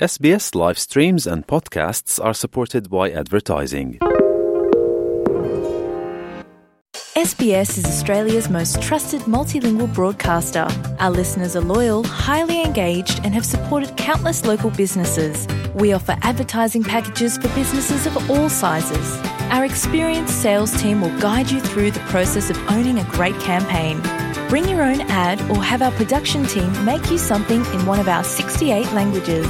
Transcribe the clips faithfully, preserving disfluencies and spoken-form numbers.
S B S live streams and podcasts are supported by advertising. S B S is Australia's most trusted multilingual broadcaster. Our listeners are loyal, highly engaged, and have supported countless local businesses. We offer advertising packages for businesses of all sizes. Our experienced sales team will guide you through the process of owning a great campaign. Bring your own ad or have our production team make you something in one of our sixty-eight languages.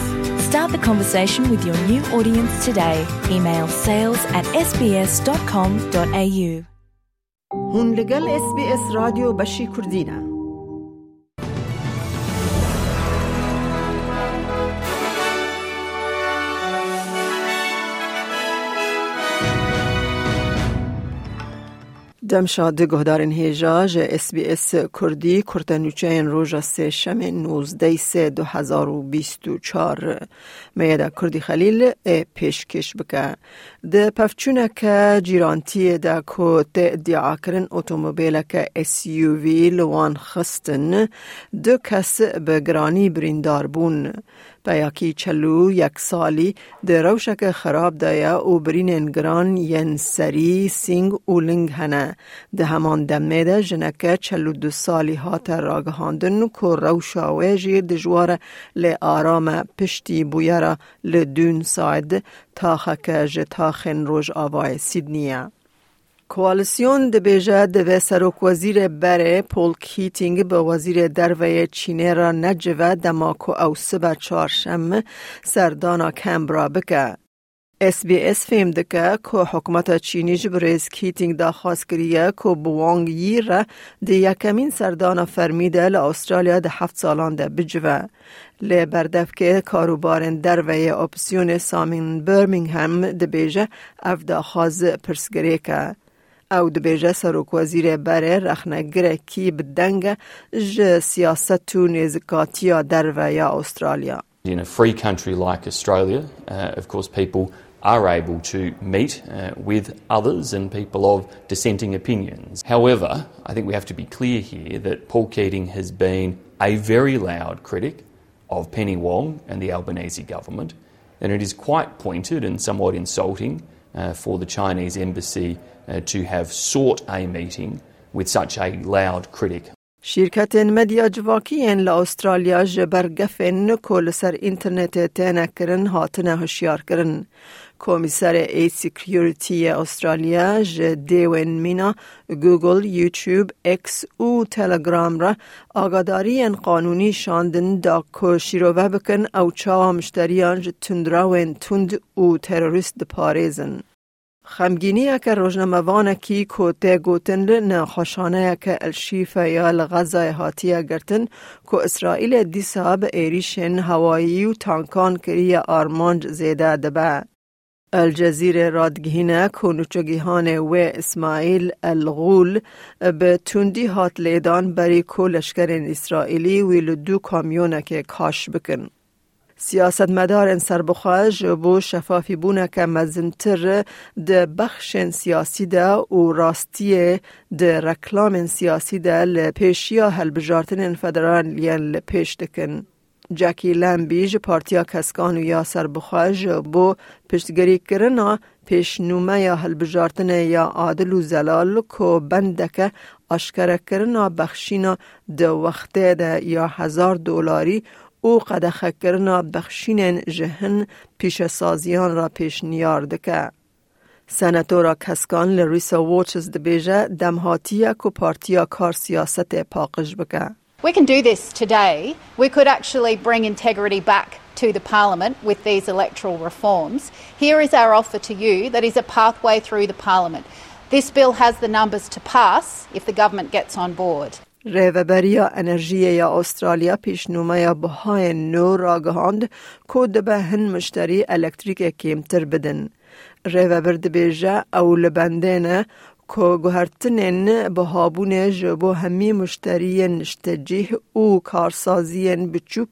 Start the conversation with your new audience today. Email sales at S B S dot com dot A U. Hûn li gel S B S Radyo beşî Kurdî ne. Demşa di guhdarên hêja ji S B S Kurdî kurtenûçeyên roja sêşemê nozdeh sê du hezar û bîst û çar Meyeda Kurdî Xelîl ê pêşkêş bike. Di pevçûneke cîrantiyê de ku tê îdiakirin otomobîleke S U V li wan xistin, du kes bi giranî birîndar bûn. Peyakî çel û yek salî di rewşeke xerab de ye û birînên giran yên serî, sîng û ling hene. Di heman demê de jineke çel û du salî hate ragihandin ku rewşa wê jî dijwar e, lê aram e, piştî bûyera li Dûn Said, taxeke ji taxên rojavayê Sydney ye. Koalisyon dibêje divê serokwezîrê berê Paul Keating bi wezîrê derve yê Çînê re necive dema ku ew sibe çarşem serdana Canberra bike. S B S fêm dike ku hikûmeta Çînî ji birêz Keating daxwaz kiriye ku bi Wang Yi re di yekemîn serdana fermî de li Astralya di heft salan de bicive. Lê berdevkê karûbarên derve yê opsiyonê Simon Birmingham dibêje ev daxwaz pirsgirêk e. Ew dibêje serokwezîrê berê rexnegirekî bi deng e ji siyaset û nêzikatiya derve ya Astralya. In a free country like Australia, uh, of course, people are able to meet, uh, with others and people of dissenting opinions. However, I think we have to be clear here that Paul Keating has been a very loud critic of Penny Wong and the Albanese government, and it is quite pointed and somewhat insulting, uh, for the Chinese embassy, uh, to have sought a meeting with such a loud critic. Şîrketên medya civakî yên li Astralya ji ber gefên ku li ser înternetê têne kirin hatine hişyarkirin. Komîserê e-Security yê Astralya ji dêwên mîna Google, YouTube, X û Telegram re agadariyên qanûnî şandin da ku şîrove bikin ew çawa mişteriyan ji tundrewên tund û terorîst diparêzin. Xemgîniyeke rojnamevanekî ku tê gotin li nexweşxaneyeke El Şîfa ya li Xezayê hatiye girtin ku Îsraîlê dîsa bi êrîşên hewayî û tankan kiriye armanc zêde dibe. El Cezîrê radigihîne ku nûçegihanê wê Îsmaîl El Xûl bi tundî hat lêdan berî ku leşkerên Îsraîlî wî li du kamyonekê kaş bikin. Siyasetmedarên serbixwe ji bo şefafîbûneke mezintir di bexşên siyasî de û rastiyê di reklamên siyasî de li pêşiya hilbijartinên federal yên li pêş dikin. Jackie Lambie ji Partiya Keskan û ya Serbixwe ji bo piştgirîkirina pêşnûmeya hilbijartinê ya adil û zelal ku bendeke aşkerekirina bexşîna di wextê de ya hezar dolarî û qedexekirina bexşînên ji hin pîşesaziyan re pêşniyar dike. Senatora Keskan li Risa Waters dibêje dem hatiye ku partiya kar siyasetê paqij bike. We can do this today. We could actually bring integrity back to the parliament with these electoral reforms. Here is our offer to you that is a pathway through the parliament. This bill has the numbers to pass if the government gets on board. Rêveberiya Enerjiyê ya Astralya pêşnûmeya bihayên nû ragihand ku dibe hin mişterî elektrîkê kêmtir bidin. Rêvebir dibêje ew li bendê ne ku guhertinên bihabûnê ji bo hemî mişteriyên niştecîh û karsaziyên biçûk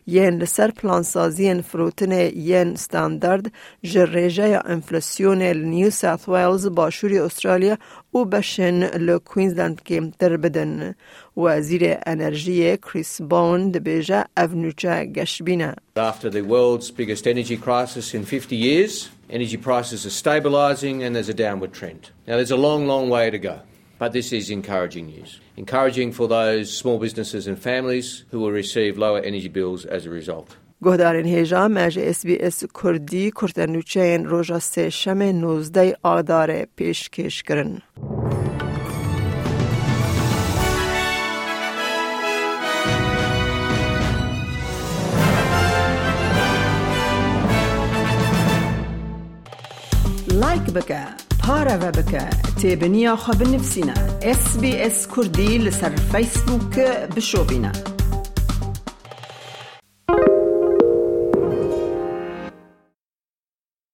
yên li ser plansaziyên firotinê yên standard ji rêjeya enflasyonê li New South Wales, Başûrê Astralya û beşên li Queensland kêmtir bidin. Wezîrê Enerjiyê Chris Bowen dibêje ev nûçe geşbîn e. After the world's biggest energy crisis in fifty years, energy prices are stabilising and there's a downward trend. Now, there's a long, long way to go, but this is encouraging news. Encouraging for those small businesses and families who will receive lower energy bills as a result. Guhdarên hêja, me ji S B S Kurdî kurte nûçeyên roja sêşemê nozdeh Adarê pêşkêş kirin. Like bike, pareve bike, têbiniya xwe binivîsîne. S B S Kurdî li ser Facebook bişopîne.